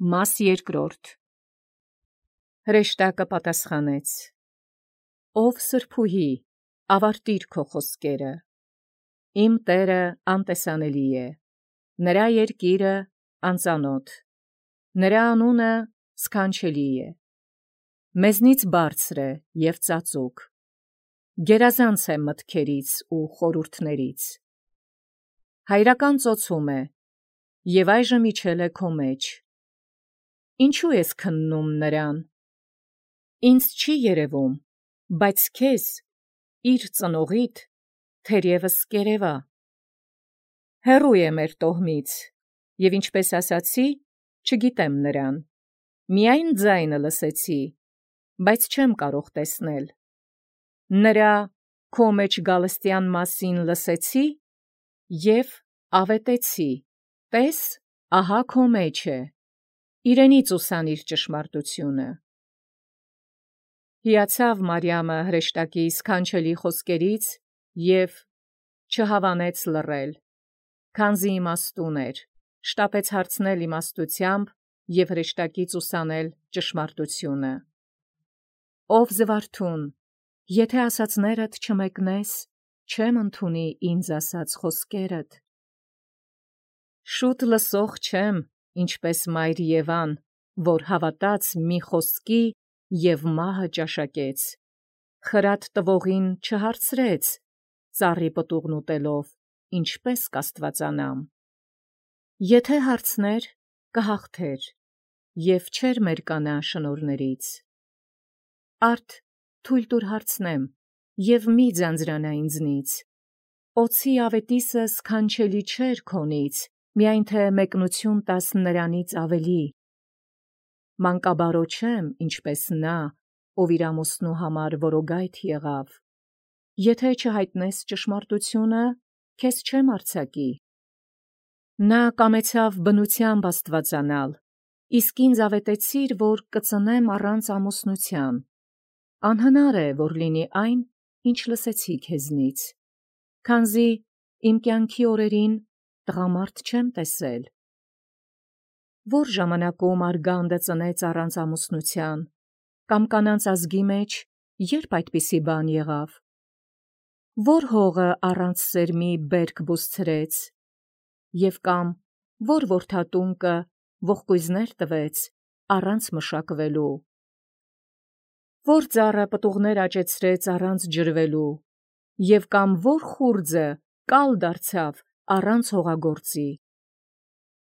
Մաս երկրորդ Հրեշտակը պատասխանեց. Ով սրբուհի, ավարտիր քո խոսքերը, իմ Տերը անտեսանելի է, նրա երկիրը անծանոթ, նրա անունը սքանչելի է, մեզնից բարձր է և ծածուկ, գերազանց է մտքերից ու խորհուրդներից, հայրական ծոցում է, և այժմ իջել է քո մեջ. Ինչու ես քննում նրան, ինձ չի երևում, բայց քեզ, իր ծնողիդ, թերևս կերևա, հեռու է մեր տոհմից, և ինչպես ասացի, չգիտեմ նրան, միայն ձայնը լսեցի, բայց չեմ կարող տեսնել, նրա քո մեջ գալստյան մասին լսեցի և ավետեցի, տես, ահա քո մեջ է, իրենից ուսանիր ճշմարտությունը։ Հիացավ Մարիամը հրեշտակի սքանչելի խոսքերից և չհավանեց լռել, քանզի իմաստուն էր, շտապեց հարցնել իմաստությամբ և հրեշտակից ուսանել ճշմարտությունը։ Ով զվարթուն, եթե ասածներդ չմեկնես, չեմ ընդունի ինձ ասած խոսքերդ։ Շուտ լսող չեմ, ինչպես մայր Եվան, որ հավատաց մի խոսքի և մահը ճաշակեց, խրատ տվողին չհարցրեց, ծառի պտուղն ուտելով, ինչպես կաստվածանամ։ Եթե հարցներ, կհաղթեր, և չէր մերկանա շնորհներից։ Արդ թույլ տուր հարցնեմ, և մի ձանձրանա ինձնից, օձի ավետիսը սքանչելի չէր քոնից, միայն թե մեկնություն տաս նրանից ավելի։ Մանկաբարո չեմ, ինչպես նա, ով իր ամուսնու համար որոգայթ եղավ։ Եթե չհայտնես ճշմարտությունը, քեզ չեմ արձակի։ Նա կամեցավ բնությամբ աստվածանալ, իսկ ինձ ավետեցիր, որ կծնեմ առանց ամուսնության։ Անհնար է, որ լինի այն, ինչ լսեցի քեզնից, քանզի իմ կյանքի օրերին տղամարդ չեմ տեսել։ Որ ժամանակում արգանդը ծնեց առանց ամուսնության, կամ կանանց ազգի մեջ երբ այդպիսի բան եղավ։ Որ հողը առանց սերմի բերք բուսցրեց, և կամ որ որդատունկը ողկույզներ տվեց առանց մշակվելու։ Որ ծառը պտուղներ աճեցրեց առանց ջրվելու, և կամ որ խուրձը կալ դարձավ առանց հողագործի։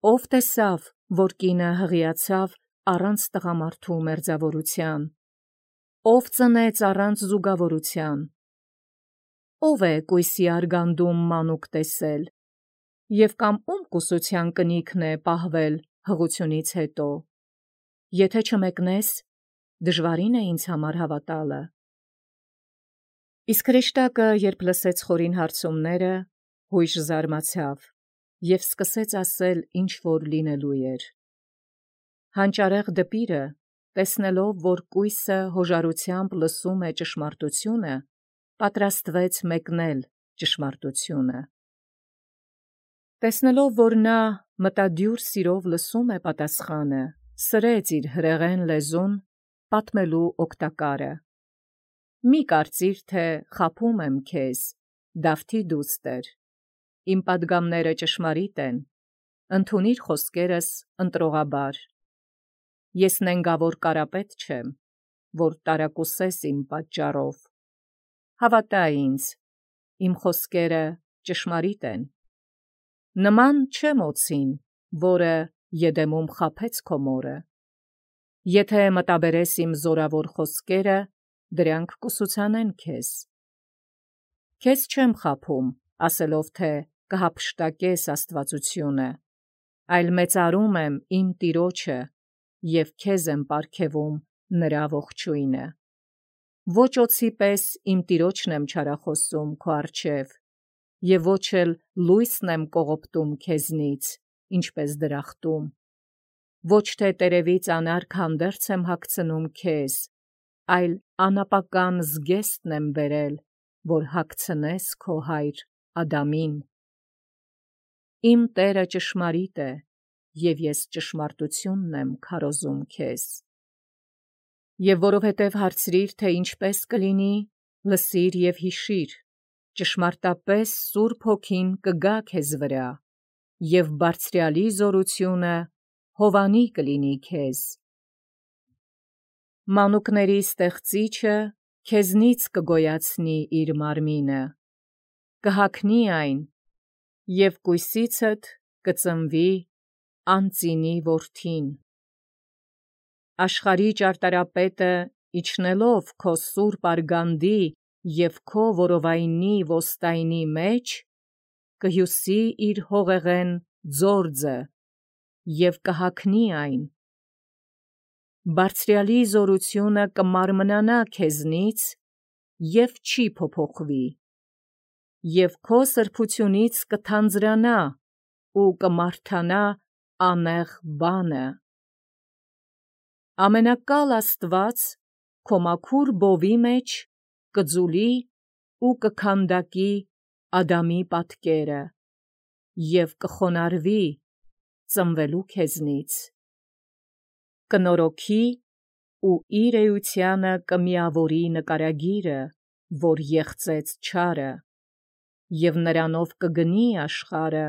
Ով տեսավ, որ կինը հղիացավ առանց տղամարդու մերձավորության, ով ծնեց առանց զուգավորության։ Ով է կույսի արգանդում մանուկ տեսել, և կամ ում կուսության կնիքն է պահվել հղությունից հետո։ Եթե չմեկնես, դժվարին է ինձ համար հավատալը։ Իսկ հրեշտակը, երբ լսեց խորին հարցումները, հույժ զարմացավ և սկսեց ասել, ինչ որ լինելու էր։ Հանճարեղ դպիրը, տեսնելով, որ կույսը հոժարությամբ լսում է ճշմարտությունը, պատրաստվեց մեկնել ճշմարտությունը։ Տեսնելով, որ նա մտադյուր սիրով լսում է պատասխանը, սրեց իր հրեղեն լեզուն, պատմելու օգտակարը։ Մի կարծիր, թե խաբում եմ քեզ, Դավթի դուստր, իմ պատգամները ճշմարիտ են, ընդունիր խոսքերս ընտրողաբար։ Ես նենգավոր կարապետ չեմ, որ տարակուսես իմ պատճառով։ Հավատա ինձ, իմ խոսքերը ճշմարիտ են։ Նման չեմ օձին, որը Եդեմում խաբեց քո մորը։ Եթե մտաբերես իմ զորավոր խոսքերը, դրանք կուսուցանեն քեզ։ Քեզ չեմ խաբում, ասելով, թե կհափշտակես աստվածությունը, այլ մեծարում եմ իմ Տիրոջը և քեզ եմ պարգևում նրա ողջույնը։ Ոչ օձի պես իմ Տիրոջն եմ չարախոսում քո առջև, և ոչ էլ լույսն եմ կողոպտում քեզնից, ինչպես դրախտում։ Ոչ թե տերևից անարգ հանդերձ եմ հագցնում քեզ, այլ անապական զգեստն եմ բերել, որ հագցնես քո հայր Ադամին։ Իմ Տերը ճշմարիտ է, և ես ճշմարտությունն եմ քարոզում քեզ։ Եվ որովհետև հարցրիր, թե ինչպես կլինի, լսիր և հիշիր, ճշմարտապես Սուրբ Հոգին կգա քեզ վրա, և Բարձրյալի զորությունը հովանի կլինի քեզ։ Մանուկների ստեղծիչը քեզնից կգոյացնի իր մարմինը, կհագնի այն, և կույսիցդ կծնվի անծինի որդին։ Աշխարհի ճարտարապետը իջնելով քո սուրբ արգանդի և քո որովայնի ոստայնի մեջ, կհյուսի իր հողեղեն ձորձը և կհագնի այն։ Բարձրյալի զորությունը կմարմնանա քեզնից և չի փոփոխվի, և քո սրբությունից կթանձրանա ու կմարդանա անեղ բանը։ Ամենակալ Աստված քո մաքուր բովի մեջ կձուլի ու կքանդակի Ադամի պատկերը և կխոնարհվի ծնվելու քեզնից, կնորոգի ու իր էությանը կմիավորի նկարագիրը, որ եղծեց չարը, և նրանով կգնի աշխարհը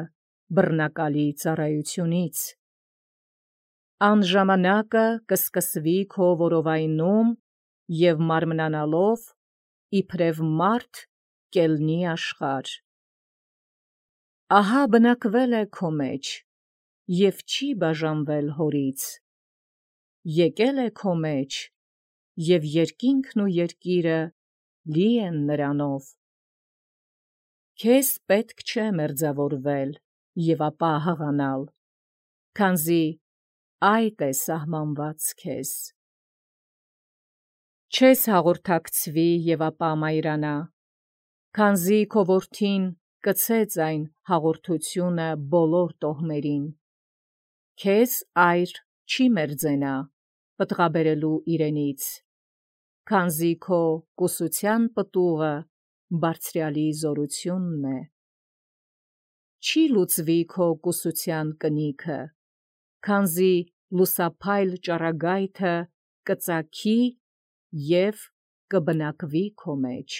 բռնակալի ծառայությունից։ Ան ժամանակը կսկսվի քո որովայնում և մարմնանալով իբրև մարդ կելնի աշխարհ։ Ահա բնակվել է քո մեջ և չի բաժանվել հորից, եկել է քո մեջ, և երկինքն ու երկիրը լի են նրանով։ Քեզ պետք չէ մերձավորվել և ապա հղանալ, քանզի այդ է սահմանված քեզ։ Չես հաղորդակցվի և ապա մայրանա, քանզի քո որդին կցեց այն հաղորդությունը բոլոր տոհմերին։ Քեզ այր չի մերձենա պտղաբերելու իրենից, քանզի քո կուսության պտուղը Բարձրյալի զորությունն է։ Չի լուծվի քո կուսության կնիքը, քանզի լուսափայլ ճառագայթը կծագի և կբնակվի քո մեջ։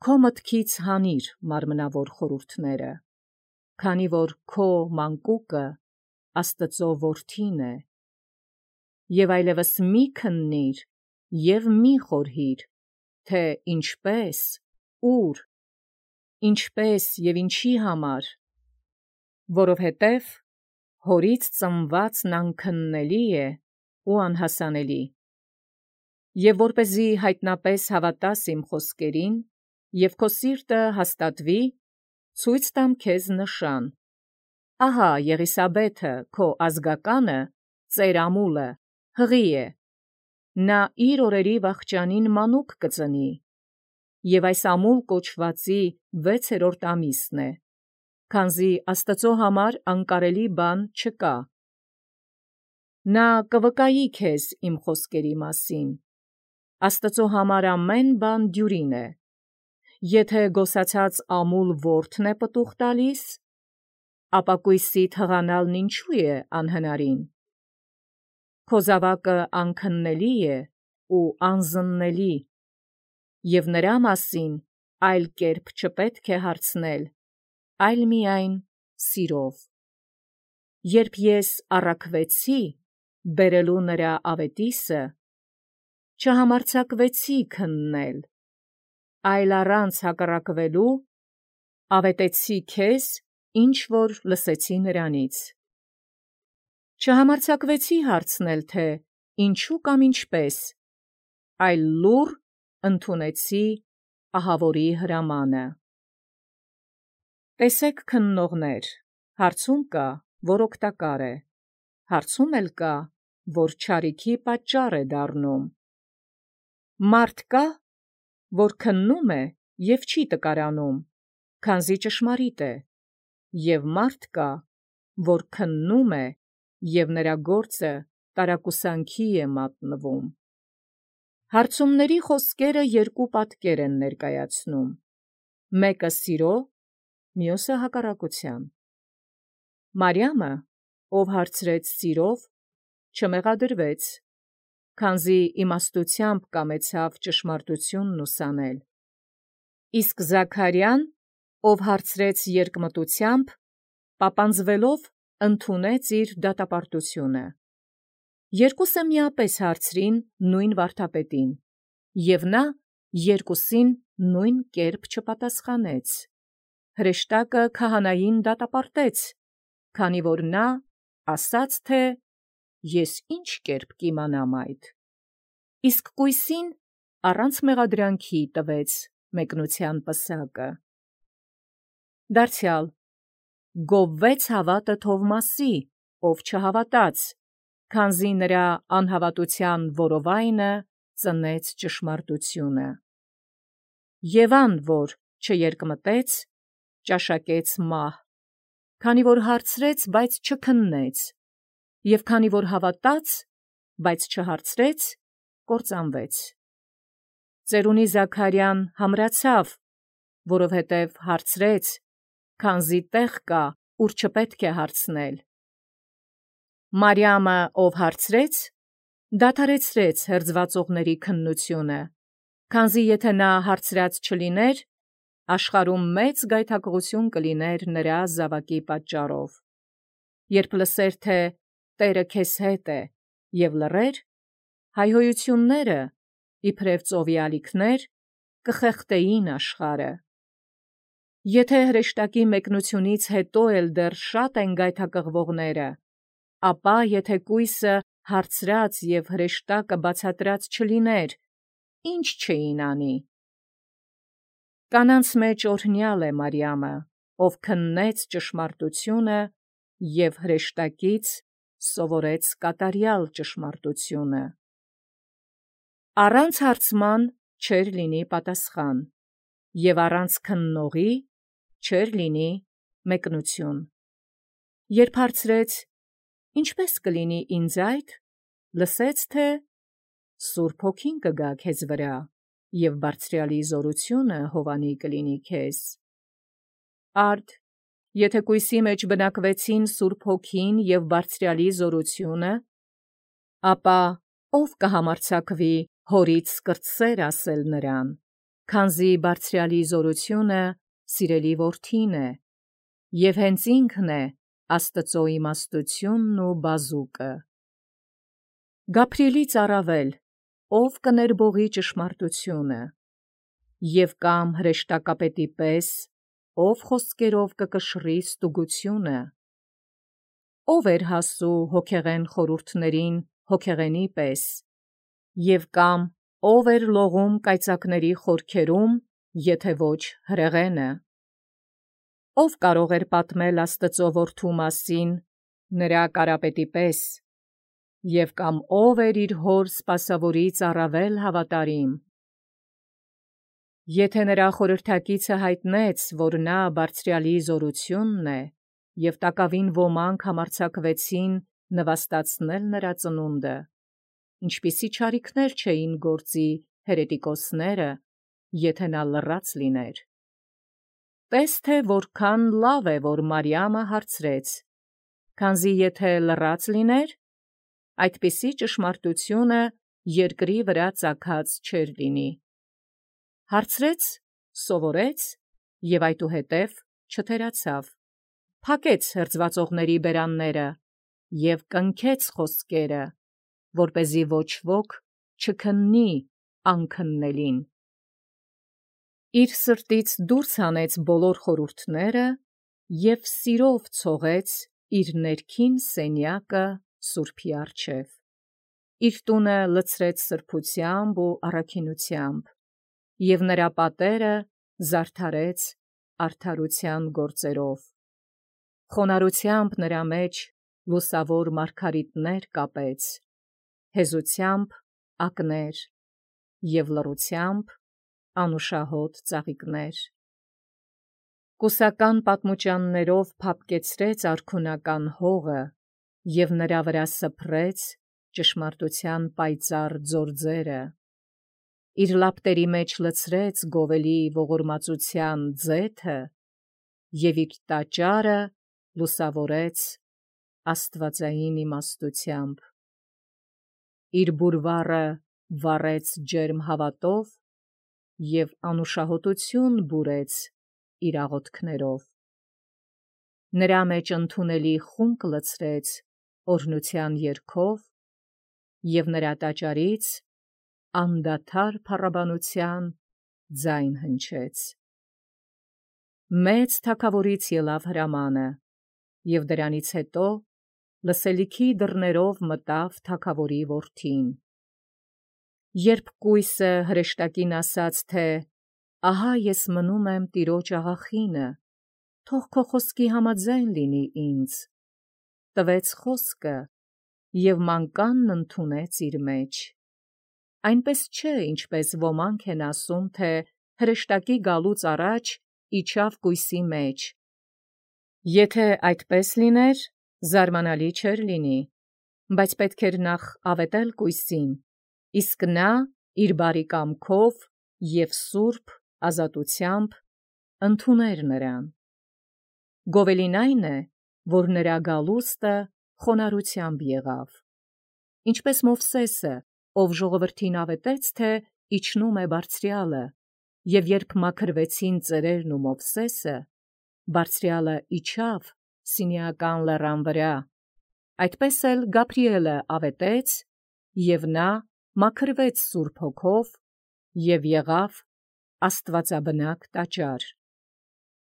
Քո մտքից հանիր մարմնավոր խորհուրդները, քանի որ քո մանկուկը Աստծո որդին է։ Եվ այլևս մի քննիր և մի խորհիր, թե ինչպես, ուր, ինչպես և ինչի համար, որովհետև հորից ծնվածն անքննելի է ու անհասանելի։ Եվ որպեսզի հայտնապես հավատաս իմ խոսքերին, և քո սիրտը հաստատվի, ցույց տամ քեզ նշան. ահա Եղիսաբեթը քո ազգականը, ծեր ամուլը, հղի է, նա իր օրերի վախճանին մանուկ կծնի, և այս ամուլ կոչվածի 6-րդ ամիսն է, քանզի Աստծո համար անկարելի բան չկա։ Նա կվկայի քեզ իմ խոսքերի մասին, Աստծո համար ամեն բան դյուրին է։ Եթե գոսացած ամուլ որդն է պտուղ տալիս, ապա կույսիդ հղանալն ինչու է անհնարին։ Քո զավակը անքննելի է ու անզննելի, և նրա մասին այլ կերպ չպետք է հարցնել, այլ միայն սիրով։ Երբ ես առաքվեցի, բերելու նրա ավետիսը, չհամարձակվեցի քննել, այլ առանց հակառակվելու ավետեցի քեզ, ինչ որ լսեցի նրանից։ Չհամարձակվեցի հարցնել, թե ինչու կամ ինչպես, այլ լուռ ընդունեցի ահավորի հրամանը։ Տեսեք, քննողներ, հարցում կա, որ օգտակար է, հարցում էլ կա, որ չարիքի պատճառ է դառնում։ Մարդ կա, որ քննում է և չի տկարանում, քանզի ճշմարիտ է, և մարդ կա, որ քննում է, և նրա գործը տարակուսանքի է մատնվում։ Հարցումների խոսքերը երկու պատկեր են ներկայացնում. մեկը սիրո, մյուսը հակառակության։ Մարիամը, ով հարցրեց սիրով, չմեղադրվեց, քանզի իմաստությամբ կամեցավ ճշմարտությունն ուսանել։ Իսկ Զաքարյան, ով հարցրեց երկմտությամբ, պապանձվելով ընդունեց իր դատապարտությունը։ Երկուսը միապես հարցրին նույն վարդապետին, և նա երկուսին նույն կերպ չպատասխանեց։ Հրեշտակը քահանային դատապարտեց, քանի որ նա ասաց, թե «Ես ինչ կերպ կիմանամ այդ»։ Իսկ կույսին առանց մեղադրանքի տվեց մեկնության պսակը։ Դարձյալ գովվեց հավատը Թովմասի, ով չհավատաց, քանզի նրա անհավատության որովայնը ծնեց ճշմարտությունը։ Եվ ան, որ չերկմտեց, ճաշակեց մահ, քանի որ հարցրեց, բայց չքննեց, և քանի որ հավատաց, բայց չհարցրեց, կործանվեց։ Ծերունի Զաքարյան համրացավ, որովհետև հարցրեց, քանզի տեղ կա, ուր չպետք է հարցնել։ Մարիամը, ով հարցրեց, դադարեցրեց հերձվածողների քննությունը, քանզի եթե նա հարցրած չլիներ, աշխարհում մեծ գայթակղություն կլիներ նրա զավակի պատճառով։ Երբ լսեր, թե Տերը քեզ հետ է, և լռեր, հայհոյությունները, իբրև ծովի ալիքներ, կխեղդեին աշխարհը։ Եթե հրեշտակի մեկնությունից հետո էլ դեռ շատ են գայթակղվողները, ապա եթե կույսը հարցրած և հրեշտակը բացատրած չլիներ, ի՞նչ չէին անի։ Կանանց մեջ օրհնյալ է Մարիամը, ով քննեց ճշմարտությունը և հրեշտակից սովորեց կատարյալ ճշմարտությունը։ Առանց հարցման չէր լինի պատասխան, և առանց քննողի չէր լինի մեկնություն։ Երբ հարցրեց. «Ինչպե՞ս կլինի ինձ այդ», լսեց, թե «Սուրբ Հոգին կգա քեզ վրա, և Բարձրյալի զորությունը հովանի կլինի քեզ»։ Արդ, եթե կույսի մեջ բնակվեցին Սուրբ Հոգին և Բարձրյալի զորությունը, ապա ով կհամարձակվի հորից կրտսեր ասել նրան, քանզի Բարձրյալի զորությունը սիրելի որդին է, և հենց ինքն է Աստծո իմաստությունն ու բազուկը։ Գաբրիելից առավել, ով կներբողի ճշմարտությունը, և կամ հրեշտակապետի պես, ով խոսքերով կկշռի ստուգությունը, ով էր հասու հոգեղեն խորհուրդներին հոգեղենի պես, և կամ ով էր լողում կայծակների խորքերում, եթե ոչ հրեղենը, ով կարող էր պատմել Աստծո որդու մասին նրա կարապետի պես, և կամ ով էր իր հոր սպասավորից առավել հավատարիմ։ Եթե նրա խորհրդակիցը հայտնեց, որ նա Բարձրյալի զորությունն է, և տակավին ոմանք համարձակվեցին նվաստացնել նրա ծնունդը, ինչպիսի չարիքներ չէին գործի հերետիկոսները, եթե նա լռած լիներ։ Տես թե որքան լավ է, որ Մարիամը հարցրեց, քանզի եթե լռած լիներ, այդպիսի ճշմարտությունը երկրի վրա ծագած չէր լինի։ Հարցրեց, սովորեց և այդուհետև չթերացավ, փակեց հերձվածողների բերանները և կնքեց խոսքերը, որպեսզի ոչ ոք չքննի անքննելին։ Իր սրտից դուրս հանեց բոլոր խորհուրդները և սիրով ցողեց իր ներքին սենյակը Սուրբի առջև։ Իր տունը լցրեց սրբությամբ ու առաքինությամբ, և նրա պատերը զարդարեց արդարության գործերով։ Խոնարհությամբ նրա մեջ լուսավոր մարգարիտներ կապեց, հեզությամբ ակներ և լռությամբ անուշահոտ ծաղիկներ։ Կուսական պատմուճաններով փափկեցրեց արքունական հողը և նրա վրա սփռեց ճշմարտության պայծառ ձորձերը։ Իր լապտերի մեջ լցրեց գովելի ողորմածության ձեթը և իր տաճարը լուսավորեց աստվածային իմաստությամբ, իր բուրվառը վառեց ջերմ հավատով և անուշահոտություն բուրեց իր աղոթքներով, նրա մեջ ընդունելի խունկ լցրեց օրհնության երգով և նրա տաճարից անդադար փառաբանության ձայն հնչեց։ Մեծ թագավորից ելավ հրամանը, և դրանից հետո լսելիքի դռներով մտավ թագավորի որդին։ Երբ կույսը հրեշտակին ասաց, թե «Ահա ես մնում եմ տիրոջ աղախինը, թող քո խոսքի համաձայն լինի ինձ», տվեց խոսքը և մանկանն ընդունեց իր մեջ։ Այնպես չէ, ինչպես ոմանք են ասում, թե հրեշտակի գալուց առաջ իջավ կույսի մեջ։ Եթե այդպես լիներ, զարմանալի չէր լինի, բայց պետք էր նախ ավետել կույսին, իսկ նա իր բարի կամքով և սուրբ ազատությամբ ընդուներ նրան։ Գովելին այն է, որ նրա գալուստը խոնարհությամբ եղավ, ինչպես Մովսեսը, ով ժողովրդին ավետեց, թե իջնում է Բարձրյալը, և երբ մաքրվեցին ծերերն ու Մովսեսը, Բարձրյալը իջավ Սինեական լեռան վրա, այդպես էլ Գաբրիելը ավետեց, և նա մաքրվեց Սուրբ Հոգով և եղավ աստվածաբնակ տաճար։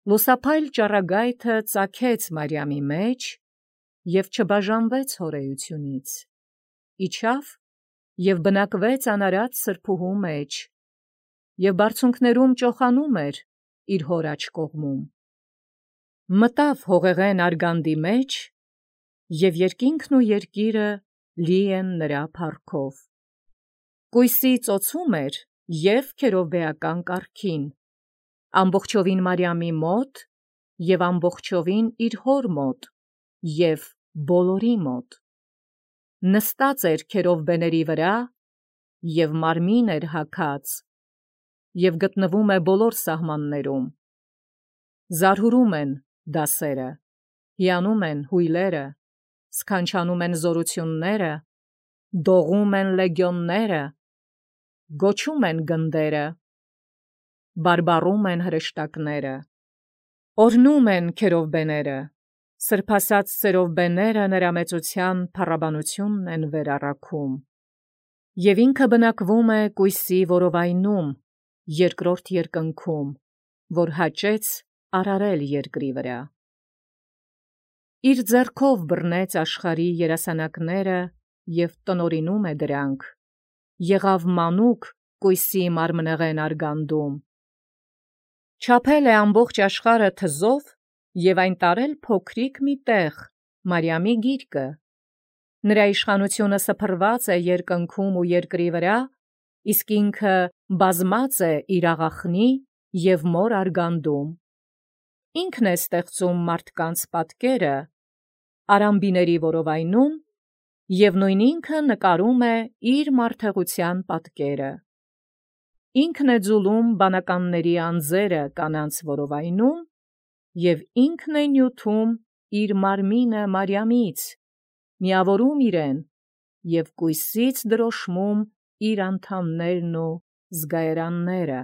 Լուսափայլ ճառագայթը ծագեց Մարիամի մեջ և չբաժանվեց հորեությունից, իջավ և բնակվեց անարատ սրբուհու մեջ, և բարձունքներում ճոխանում էր իր հոր աջ կողմում։ Մտավ հողեղեն արգանդի մեջ, և երկինքն ու երկիրը լի են նրա փառքով։ Կույսի ծոցում էր և քերովբեական կարգին, ամբողջովին Մարիամի մոտ և ամբողջովին իր հոր մոտ և բոլորի մոտ։ Նստած էր քերովբեների վրա և մարմին էր հագած և գտնվում է բոլոր սահմաններում։ Զարհուրում են դասերը, հիանում են հույլերը, սքանչանում են զորությունները, դողում են լեգիոնները, գոչում են գնդերը, բարբառում են հրեշտակները, օրհնում են քերովբեները, սրբասած սերովբեները նրա մեծության փառաբանությունն են վերառաքում։ Եվ ինքը բնակվում է կույսի որովայնում, երկրորդ երկնքում, որ հաճեց արարել երկրի վրա։ Իր ձեռքով բռնեց աշխարհի երասանակները և տնօրինում է դրանք, եղավ մանուկ կույսի մարմնեղեն արգանդում։ Չափել է ամբողջ աշխարհը թզով և այն տարել փոքրիկ մի տեղ, Մարիամի գիրկը։ Նրա իշխանությունը սփռված է երկնքում ու երկրի վրա, իսկ ինքը բազմած է իր աղախնի և մոր արգանդում։ Ինքն է ստեղծում մարդկանց պատկերը արամբիների որովայնում և նույն ինքը նկարում է իր մարդեղության պատկերը։ Ինքն է ձուլում բանականների անձերը կանանց որովայնում և ինքն է նյութում իր մարմինը Մարիամից, միավորում իրեն և կույսից դրոշմում իր անդամներն ու զգայարանները։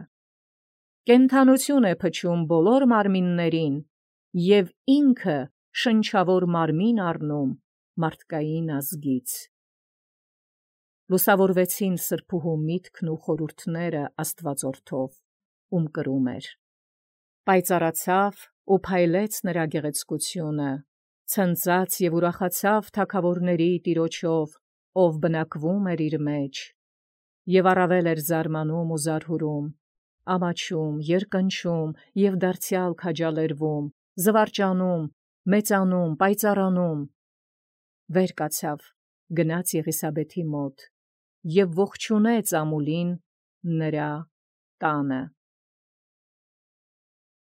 Կենդանություն է փչում բոլոր մարմիններին և ինքը շնչավոր մարմին առնում մարդկային ազգից։ Լուսավորվեցին սրբուհու միտքն ու խորհուրդները Աստվածորդով, ում կրում էր։ Պայծառացավ ու փայլեց նրա գեղեցկությունը, ցնծաց և ուրախացավ թագավորների Տիրոջով, ով բնակվում էր իր մեջ, և առավել էր զարմանում ու զարհուրում, ամաչում, երկնչում և դարձյալ քաջալերվում, զվարճանում, մեծանում, պայծառանում։ Վեր կացավ, գնաց Եղիսաբեթի մոտ և ողջունեց ամուլին նրա տանը։